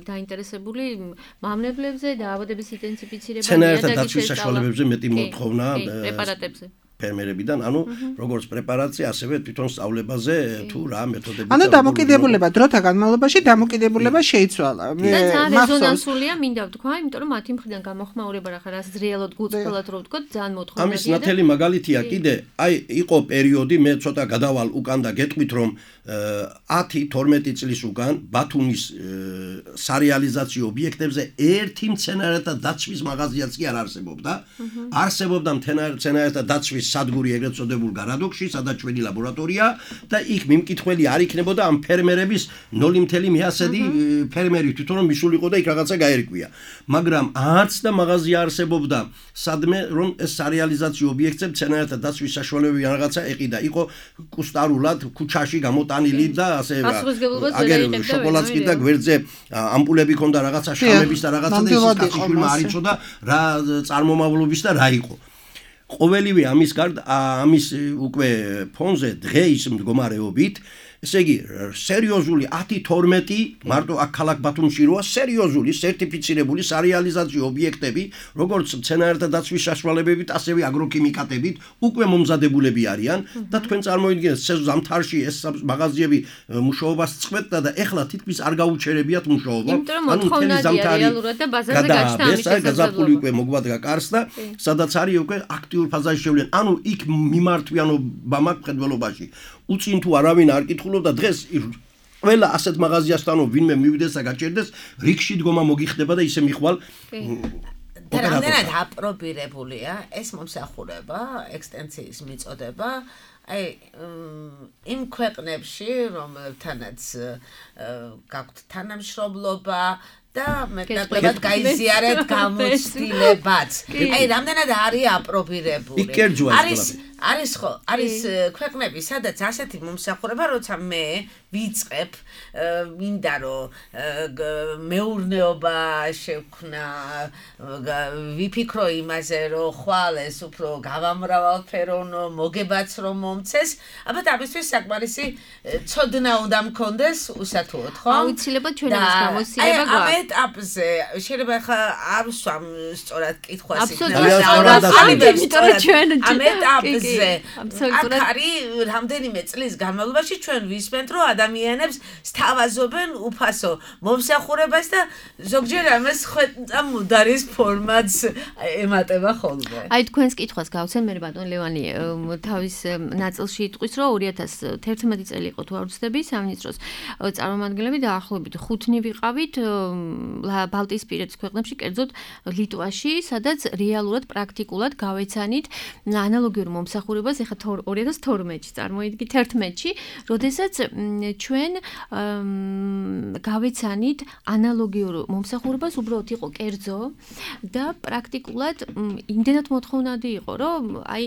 დაინტერესებული მავნებლებზე და აბადების ინტენსიფიცირებაზე ცენაერთა დაცვის საშუალებებზე მეტი მოთხოვნა პრეპარატებზე ფერმერებიდან, როგორც პრეპარაცია, ასევე თვითონ სწავლებაზე თუ რა მეთოდები. დამოკიდებულება დროთა განმავლობაში დამოკიდებულება შეიცვალა. რეზონანსულია, მინდა ვთქვა, იმიტომ რომ მათი მხრიდან გამოხმაურება რა ხარ, რეალურად გულწრფელად რო ვთქვა, ძალიან მოთხოვნადია. ამის ნათელი მაგალითია კიდე, იყო პერიოდი, მე ცოტა გადავალ უკან და გეტყვით რომ 10-12 წლის უკან ბათუმის სარეალიზაციო ობიექტებზე ერთი მცენარეთა დაცვის მაღაზიაც კი არ არსებობდა. არსებობდა მცენარეთა დაცვის სადგური ეგრეთ წოდებულ გარადოქში, სადაც ჩვენი ლაბორატორია და იქ მიმკითხველი არ იქნებოდა ამ ფერმერების 0.1 ფერმერი თვითონ რომ მისულიყო და იქ რაღაცა გაერკვია. მაგრამ არც და მაღაზია არსებობდა სადმე რომ ეს სარეალიზაციო ობიექტზე მცენარეთა დაცვის საშუალებები რაღაცა ეყიდა. იყო კუსტარულად ქუჩაში გამოტანილი და ასე აგერ შოკოლადსკი და გვერდზე ამპულები ქონდა რაღაცა შამების და რაღაცა და ის კაცშვილმა არ იცოდა რა წარმომავლობის და რა იყო. ყოველივე ამის გარდა ამის უკვე ფონზე დღეის მდგომარეობით ესე იგი სერიოზული 10-12 მარტო აქ ქალაქ ბათუმში როა სერიოზული სერტიფიცირებული სარეალიზაციო ობიექტები როგორც მცენარეთა დაცვის საშუალებებით ასევე აგროქიმიკატებით უკვე მომზადებულები არიან და თქვენ წარმოიდგინეთ ზამთარში ეს მაღაზიები მუშაობას წყვეტდა და ეხლა თითქმის არ გაუჩერებიათ მუშაობა მთელი ზამთარი რეალურად და ბაზარზე გაჩნდა ამის გაზაფხული უკვე მოგვადგა კარს და სადაც არის უკვე აქტიურ ფაზაში შევლენ იქ მიმართვიანობა მაქვს მხედველობაში უწინ თუ არავინ არ კითხულობდა დღეს ყველა ასეთ მაღაზიასთან ვინმე მივიდეს და გაჭერდეს რიგში დგომა მოგიხდება და ისე მიხვალ და რამდენად აპრობირებულია ეს მომსახურება ექსტენსიის მიწოდება იმ ქვეყნებში რომელთანაც გაქვთ თანამშრომლობა და მეტნაკლებად გაიზიარეთ გამოცდილებაც. რამდენად არის აპრობირებული. არის ქვეყნები, სადაც ასეთი მომსახურება, როცა მე ვიწყებ, მინდა რომ მეურნეობა შევქმნა, ვიფიქრო იმაზე, რომ ხვალ ეს უფრო გავამრავალფეროვნო, მოგებაც რომ მომცეს, ალბათ ამისთვის საკმარისი ცოდნა უნდა მქონდეს უსათუოდ, ხო? აუცილებლად ჩვენ ამის გამოცდილება გვაქვს. ამ ეტაპზე შეიძლება ხა არ ვსვამ სწორად კითხვას ამ ეტაპზე აქ არის რამდენიმე წლის განმავლობაში ჩვენ ვისმენთ რომ ადამიანებს სთავაზობენ უფასო მომსახურებას და ზოგჯერ ამას ხვეწა მუდარის ფორმაც ემატება ხოლმე. აი თქვენს კითხვას გავცენ მე ბატონ ლევანი თავის ნაწილში იტყვის რომ 2011 წელი იყო თუ არ ვცდები სამინისტროს წარმომადგენლები დაახლოებით 5-ნი ვიყავით ბალტიისპირეთის ქვეყნებში, კერძოდ ლიტვაში, სადაც რეალურად პრაქტიკულად გავეცანით ანალოგიურ მომსახურებას, ეხლა 2012-ში წარმოიდგინეთ 11-ში, როდესაც ჩვენ გავეცანით ანალოგიურ მომსახურებას, უბრალოდ იყო კერძო და პრაქტიკულად იმდენად მოთხოვნადი იყო, რომ აი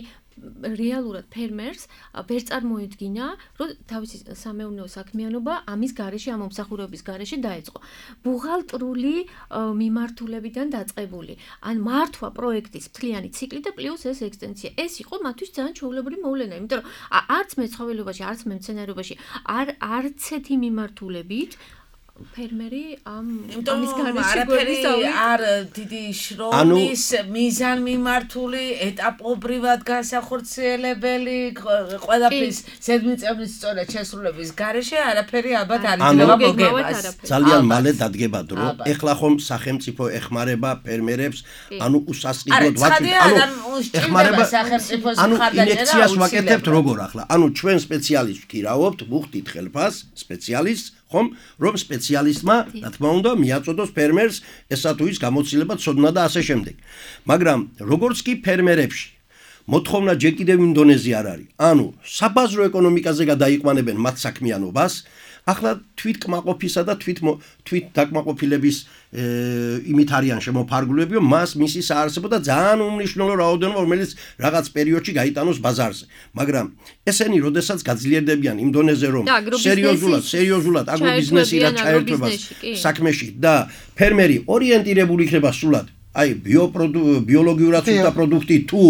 რეალურად ფერმერს ვერ წარმოედგინა, რომ თავისი სამეურნეო საქმიანობა ამის გარეშე, ამ მომსახურების გარეშე დაეწყო. ბუღალტრული მიმართულებიდან დაწყებული. ან მართვა პროექტის მთლიანი ციკლი და პლუს ეს ექსტენსია. ეს იყო მათთვის ძალიან ჩვეულებრივი მოვლენა, იმიტომ რომ არც მეცხოველობაში, არც მემცენარეობაში არც ეთი მიმართულებით ფერმერი ამის გარეშე არ დიდი შრომის მიზანმიმართული ეტაპობრივად განსახორციელებელი ყველაფრის ზედმიწევნის სწორად შესრულების გარეშე არაფერი ალბათ არ იძლევა მოგებას. ძალიან მალე დადგება დრო. ეხლა ხომ სახელმწიფო ეხმარება ფერმერებს, უსასყიდლოდ ეხმარება სახელმწიფოს მხარდაჭერა. ინექციას ვაკეთებთ როგორ ახლა? ჩვენ სპეციალისტს ვქირავობთ, ვუხდით ხელფას სპეციალისტს ხომ რომ სპეციალისტმა რა თქმა უნდა მიაწოდოს ფერმერს ესა თუ ის გამოცდილება ცოდნა და ასე შემდეგ. მაგრამ როგორც კი ფერმერებში მოთხოვნა ჯერ კიდევ იმ დონეზე არ არის. საბაზრო ეკონომიკაზე გადაიყვანებენ მათ საქმიანობას, ახლა თვით კმაყოფისა და თვით დაკმაყოფილების იმით არიან შემოფარგლულები, რომ მისი საარსებო და ძალიან უმნიშვნელო რაოდენობა, რომელიც რაღაც პერიოდში გაიტანოს ბაზარზე. მაგრამ ესენი როდესაც გაძლიერდებიან იმ დონეზე, რომ სერიოზულად აგრობიზნესი რა ჩაერთვება საქმეში და ფერმერი ორიენტირებული იქნება სულად აი ბიოლოგიურად სუფთა პროდუქტი თუ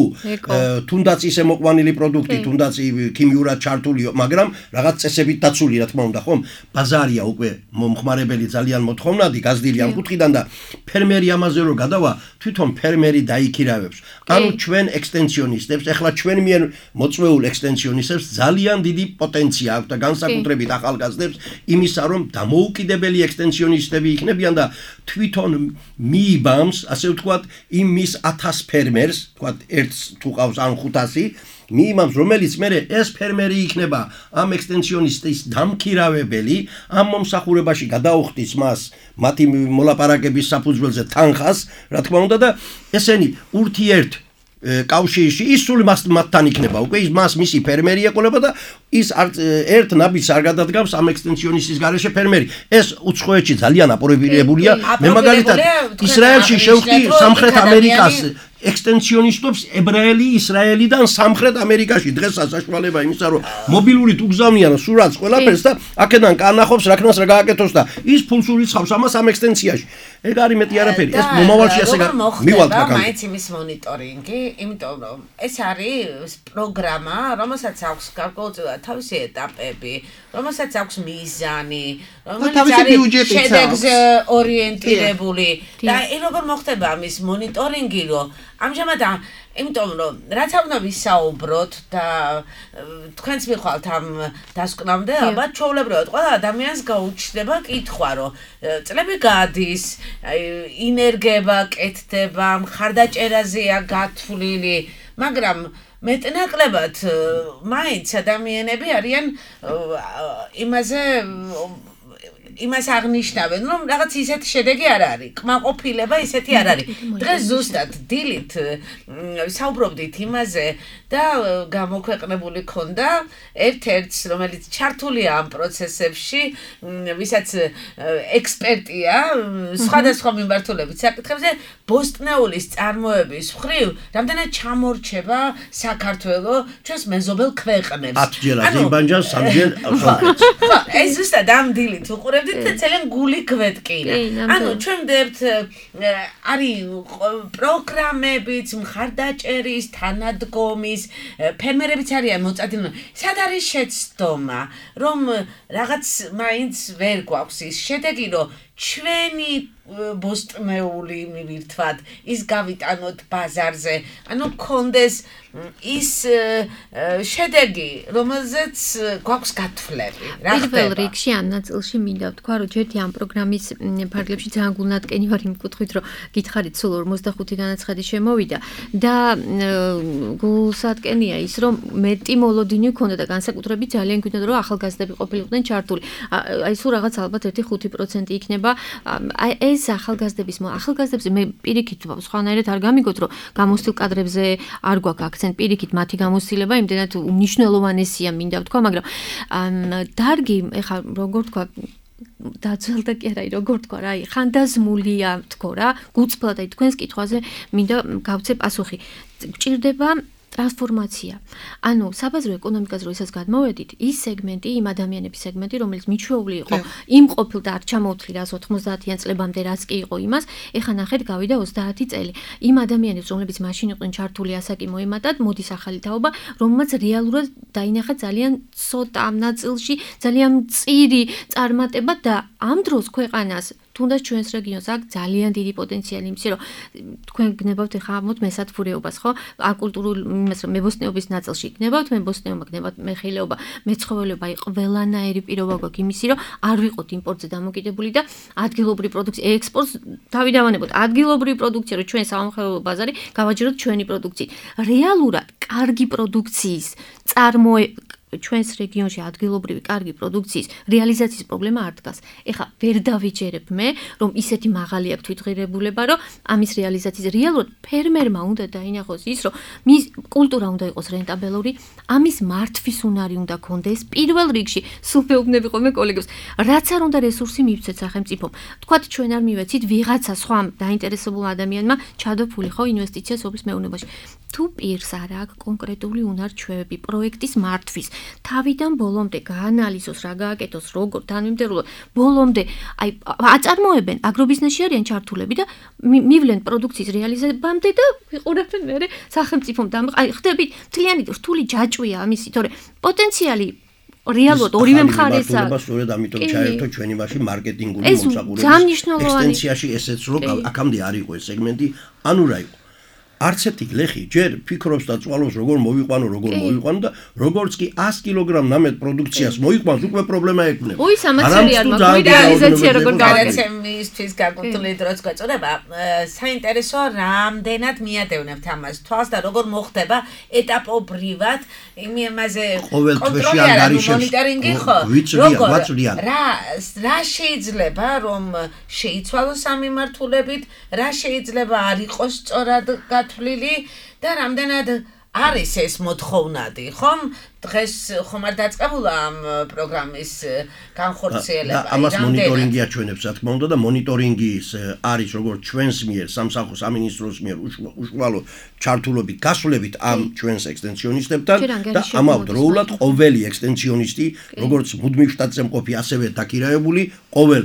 თუნდაც ისე მოყვანილი პროდუქტი, თუნდაც ქიმიურად ჩართული, მაგრამ რაღაც წესებით დაცული, რა თქმა უნდა, ხომ? ბაზარია უკვე მომხმარებელი ძალიან მოთხოვნადი, გაზრდილი ამ კუთხიდან და ფერმერი ამაზე რო გადავა, თვითონ ფერმერი დაიქირავებს. ანუ ჩვენ ექსტენსიონისტებს, ეხლა ჩვენ მიერ მოწვეულ ექსტენსიონისტებს ძალიან დიდი პოტენცია აქვს და განსაკუთრებით ახალგაზრდებს იმისა, რომ დამოუკიდებელი ექსტენსიონისტები იქნებიან და თვითონ მიიბამს, ასე ვთქვათ, იმ მის 1000 ფერმერს, ვთქვათ, ერთს თუ ყავს ან 500, მიიმამს, რომელიც მერე ეს ფერმერი იქნება ამ ექსტენსიონისტის დამქირავებელი, ამ მომსახურებაში გადაუხდის მას მათი მოლაპარაკების საფუძველზე თანხას, რა თქმა უნდა და ესენი ურთიერთ კავშირში ის სულ მათთან იქნება უკვე ის მას მისი ფერმერი ეყოლება და ის ერთ ნაბიჯს არ გადადგავს ამ ექსტენსიონისტის გარეშე ფერმერი ეს უცხოეთში ძალიან აპრობირებულია მე მაგალითად ისრაელში შევხვდი სამხრეთ ამერიკას ექსტენსიონისტებს ებრაელი ისრაელიდან სამხრეთ ამერიკაში დღესაც საშუალება იმისა რომ მობილური თუ გზავნიან სურათს ყველაფერს და აქედან კანახობს რაკნას რა გააკეთოს და ის ფულს ურიცხავს ამას ამ ექსტენსიაში ეგ არის მეტი არაფერი ეს მომავალში ასე მივალთ მაგალითად მაინც იმის მონიტორინგი იმიტომ რომ ეს არის პროგრამა რომელსაც აქვს გარკვეულწილად თავისი ეტაპები რომელსაც აქვს მიზანი რომელიც არის შედეგზე ორიენტირებული და როგორ მოხდება ამის მონიტორინგი რომ ამჟამად იმიტომ რომ რაც უნდა ვისაუბროთ და თქვენც მიხვალთ ამ დასკვნამდე ალბათ ჩვეულებრივად ყველა ადამიანს გაუჩნდება კითხვა რომ წლები გადის ინერგება კეთდება მხარდაჭერაზეა გათვლილი მაგრამ მეტნაკლებად მაინც ადამიანები არიან იმას აღნიშნავენ, რომ რაღაც ისეთი შედეგი არ არის, კმაყოფილება ისეთი არ არის. დღეს ზუსტად დილით საუბრობდით იმაზე და გამოქვეყნებული ქონდა ერთ-ერთს, რომელიც ჩართულია ამ პროცესებში, ვისაც ექსპერტია სხვადასხვა მიმართულებით საკითხებზე, ბოსტნეულის წარმოების მხრივ, რამდენად ჩამორჩება საქართველოს ჩვენს მეზობელ ქვეყნებს. 10 ჯერ აზერბაიჯანს, 3 ჯერ სომხეთს. ხო, ეს ზუსტად ამ დილით უყურებთ ძალიან გული გვეტკინა. ანუ ჩვენ ვდებთ არის პროგრამებიც, მხარდაჭერის, თანადგომის, ფერმერებიც არიან მოწადინებული. სად არის შეცდომა, რომ რაღაც მაინც ვერ გვაქვს ის შედეგი, რომ ჩვენი ბოსტნეული მივირთვათ, ის გავიტანოთ ბაზარზე, ანუ კონდეს ის შედეგი, რომელზეც გვაქვს გათვლები. რა ხდება? პირველ რიგში ამ ნაწილში მინდა ვთქვა, რომ ჯერთი ამ პროგრამის ფარგლებში ძალიან გულნატკენი ვარ იმ კუთხით, რომ გითხარით სულ 45 განაცხადი შემოვიდა და გულსატკენია ის, რომ მეტი მოლოდინი ქონდა და განსაკუთრებით ძალიან გვინდა რომ ახალგაზრდები ყოფილიყვნენ ჩართული. აი სულ რაღაც ალბათ 1-5% იქნება. აი ეს ახალგაზრდებს მე პირიქით სხვანაირად არ გამიგოთ, რომ გამოსtildeულ კადრებზე არ გვაქვს აქცენტ პირიქით მათი გამოსtildeება იმდენად უნიშნელოვანესია მინდა ვთქვა, მაგრამ დარგი ეხა როგორ ვთქვა დაძველდა კი არა, როგორ ვთქვა რა, ხანდაზმულია ვთქვა რა, გუწფლად აი თქვენს კითხვაზე მინდა გავცე პასუხი. გჭირდება ტრანსფორმაცია. ანუ საბაზრო ეკონომიკაზე როდესაც გადმოვედით, ის სეგმენტი, იმ ადამიანების სეგმენტი, რომელიც მიჩვეული იყო, იმ ყოფილდა არ ჩამოთვლიდა 90-იან წლებამდე რაც კი იყო იმას, ეხლა ნახეთ გავიდა 30 წელი. იმ ადამიანებს, რომლებიც მაშინ იყვნენ ჩართული ასაკი მოემატათ, მოდის ახალი თაობა, რომელმაც რეალურად დაინახა ძალიან ცოტა ამ ნაწილში, ძალიან მწირი წარმატება და ამ დროს ქვეყანას თუნდაც ჩვენს რეგიონს აქვს ძალიან დიდი პოტენციალი იმისი, რომ თქვენ გნებავთ ეხლა ამოთ მესათფურეობას, ხო? აკულტურულ იმას რომ მებოსტნეობის ნაწილში გნებავთ, მებოსტნეობა გნებავთ, მეხილეობა, მეცხოველეობა, ყველანაირი პირობა გვაქვს იმისი, რომ არ ვიყოთ იმპორტზე დამოკიდებული და ადგილობრივი პროდუქცია, ექსპორტს დავიდავანებოთ. ადგილობრივი პროდუქცია, რომ ჩვენ სამომხმარებლო ბაზარი გავაჯეროთ ჩვენი პროდუქციით. რეალურად კარგი პროდუქციის ჩვენს რეგიონში ადგილობრივი კარგი პროდუქციის რეალიზაციის პრობლემა არ დგას. ეხლა ვერ დავიჯერებ მე, რომ ისეთი მაღალი აქვს თვითღირებულება, რომ ამის რეალიზაციის რეალურად ფერმერმა უნდა დაინახოს ის, რომ მის კულტურა უნდა იყოს რენტაბელური, ამის მართვის უნარი უნდა კონდეს პირველ რიგში, სულ მეუბნები ხოლმე კოლეგებს, რაც არ უნდა რესურსი მივცეთ სახელმწიფომ. თქვათ ჩვენ არ მივეცით ვიღაცა სხვა დაინტერესებულ ადამიანმა ჩადოფული ხო ინვესტიცია სოფლის მეურნეობაში. თუ პირს არ აქვს კონკრეტული უნარ-ჩვევები პროექტის მართვის თავიდან ბოლომდე გაანალიზოს, რა გააკეთოს, როგორ თანმიმდევრულად, ბოლომდე აი აწარმოებენ, აგრობიზნესში არიან ჩართულები და მივლენ პროდუქციის რეალიზებამდე და ვიყურებენ მერე სახელმწიფომ აი ხდებით მთლიანი რთული ჯაჭვია ამისი, თორე პოტენციალი რეალურად ორივე მხარეს აქვს. სწორედ ამიტომ ჩაერთო ჩვენი მასში მარკეტინგული მომსახურების ექსტენსიაში ესეც რომ აქამდე არ იყო ეს სეგმენტი, ანუ რა იყო. არც ერთი გლეხი ჯერ ფიქრობს და წვალობს როგორ მოვიყვანო და როგორც კი 100 კილოგრამ ნამედ პროდუქციას მოიყვანს უკვე პრობლემა ექნება. ой სამაცერი არ მაქვს რეალიზაცია როგორ გავაკეთებისთვის გაკუთვნილი დროც გვეწოდება საინტერესო რამდენად მიადევნებთ ამას თვალს და როგორ მოხდება ეტაპობრივად იმაზე კონტროლი არა მონიტორინგი ხო როგორ რა შეიძლება რომ შეიცვალოს ამ მიმართულებით რა შეიძლება არ იყოს სწორად თვლილი და რამდენად არის ეს მოთხოვნადი, ხომ? დღეს ხომ არ დაწყებულა ამ პროგრამის განხორციელება. და ამას მონიტორინგი აჩვენებს, რა თქმა უნდა და მონიტორინგის არის როგორც ჩვენს მიერ, სამსახურის სამინისტროს მიერ უშუალო ჩართულობით, გასვლებით ამ ჩვენს ექსტენსიონისტებთან და ამავდროულად ყოველი ექსტენსიონისტი, როგორც მუდმივ შტატზე მყოფი, ასევე დაქირავებული, ყოველ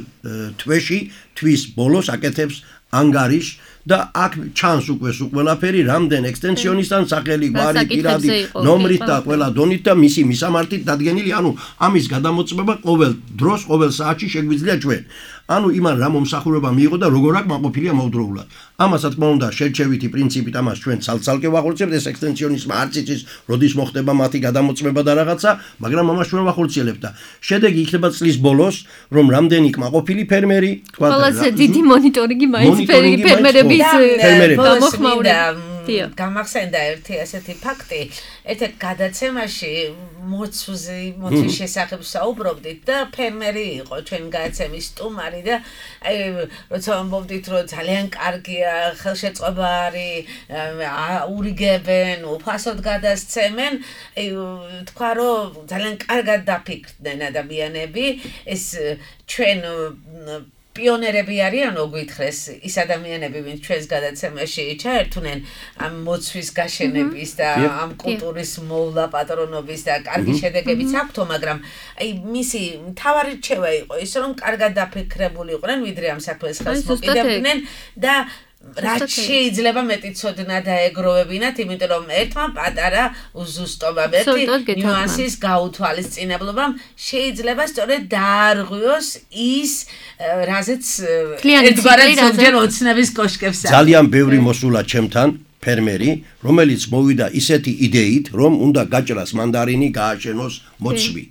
თვეში, თვის ბოლოს აკეთებს ანგარიშს და აქ ჩანს უკვე ყველაფერი რამდენ ექსტენსიონისტთან სახელი, გვარი, პირადი, ნომრით და ყველა დონით და მისი მისამართით დადგენილი, ანუ ამის გადამოწმება ყოველ დროს, ყოველ საათში შეგვიძლია ჩვენ. ანუ იმან რა მომსახურება მიიღო და როგორ აქ მაყოფილია მოვდროულად. ამას რა თქმა უნდა შერჩევითი პრინციპით ამას ჩვენ ცალ-ცალკე ვახორციელებთ, ეს ექსტენსიონისტმა არც იცის, როდის მოხდება მათი გადამოწმება და რაღაცა, მაგრამ ამას ჩვენ ვახორციელებთ და შედეგი იქნება წლის ბოლოს, რომ რამდენი კმაყოფილი ფერმერი, თქვა და ყველაზე დიდი მონიტორინგი მაინც ფერმერების გამოხმაურება. გამახსენდა ერთი ასეთი ფაქტი, ერთ გადაცემაში მოცვის შესახებ საუბრობდით და ფერმერი იყო ჩვენ გადაცემის სტუმარი და აი როცა ამბობდით რომ ძალიან კარგია ხელშეწყობა არის, ურიგებენ, უფასოდ გადასცემენ, აი თქვა რომ ძალიან კარგად დაფიქრდნენ ადამიანები, ეს ჩვენ პიონერები არიანო გითხრეს ის ადამიანები ვინც ჩვენს გადაცემაში ჩაერთვნენ ამ მოცვის გაშენების და ამ კულტურის მოვლა პატრონობის და კარგი შედეგებიც აქვთო, მაგრამ აი მისი მთავარი რჩევა იყო ის რომ კარგად დაფიქრებული იყვნენ ვიდრე ამ საქმეს ხელს მოკიდებდნენ და რაც შეიძლება მეტი ცოდნა დაეგროვებინათ, იმიტომ რომ ერთმა პატარა უზუსტობამ, ერთი ნიუანსის გაუთვალისწინებლობამ შეიძლება სწორედ დაარღვიოს ის რაზეც ერთგვარად ზოგჯერ ოცნების კოშკებს აქვს. ძალიან ბევრი მოსულა ჩემთან ფერმერი, რომელიც მოვიდა ისეთი იდეით, რომ უნდა გაჭრას მანდარინი, გააშენოს მოცვი.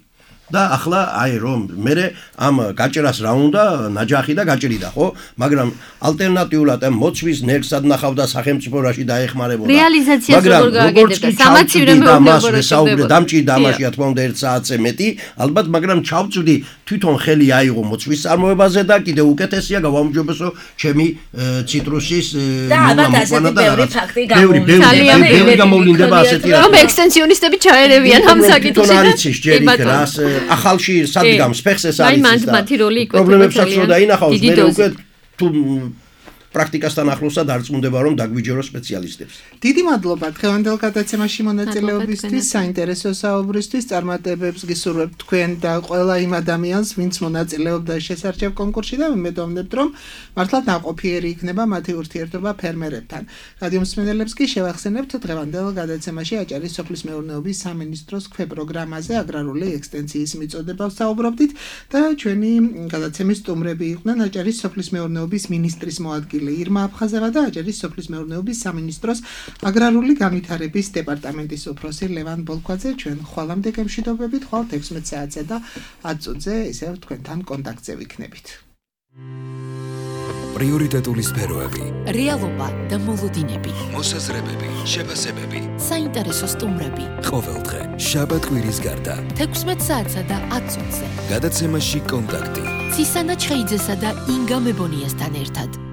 და ახლა აი რომ მე ამ გაჭრას რა უნდა ნაჯახი და გაჭრიდა ხო, მაგრამ ალტერნატიულად ამ მოცვის ნერგსად ნახავდა სახელმწიფო რაში დაეხმარებოდა. რეალიზაციას როგორ გააკეთებდა? სამაცივრემ დამჭირდა დამჭირდა ამაში რა თქმა უნდა 1 საათზე მეტი, ალბათ, მაგრამ ჩავწვდი თვითონ ხელი აიღო მოცვის წარმოებაზე და კიდე უკეთესია გავამჯობესო ჩემი ციტრუსის მომაკვანა და ბევრი გამოვლინდება ასეთი რა. რომ ექსტენსიონისტები ჩაერევიან ამ საკითხში და ახალში სადგამს ფეხს ეს არის პრობლემებსაც რო დაინახავს მე უკვე თუ პრაქტიკასთან ახლოსად არ წუნდება რომ დაგვიჯეროს სპეციალისტებს. დიდი მადლობა დღევანდელ გადაცემაში მონაწილეობისთვის, საინტერესო საუბრისთვის, წარმატებებს გისურვებთ თქვენ და ყველა იმ ადამიანს, ვინც მონაწილეობდა შესარჩევ კონკურსში და მედოვნებთ რომ მართლა დაყოფიერი იქნება მათი ურთიერთობა ფერმერებთან. რადიომსმენელებს კი შევახსენებთ დღევანდელ გადაცემაში აჭარის სოფლის მეურნეობის სამინისტროს ქვეპროგრამაზე აგრარული ექსტენსიის მიწოდებას საუბრობდით და ჩვენი გადაცემის სტუმრები იყვნენ აჭარის სოფლის მეურნეობის მინისტრის მოადგილე ირმა აფხაზევა და აჭარის სოფლის მეურნეობის სამინისტროს აგრარული განვითარების დეპარტამენტის უფროსი ლევან ბოლქვაძე. ჩვენ ხვალამდე გემშვიდობებით, ხვალ 16 საათზე და 10 წუთზე ისევ თქვენთან კონტაქტზე ვიქნებით. პრიორიტეტული სფეროები, რეალობა და მოლოდინები, მოსაზრებები, შეფასებები, საინტერესო სტუმრები. ყოველდღე შაბათ-კვირის გარდა 16 საათსა და 10 წუთზე. გადაცემაში კონტაქტი. ცისანა ჩხეიძესა და ინგა მებონიასთან ერთად.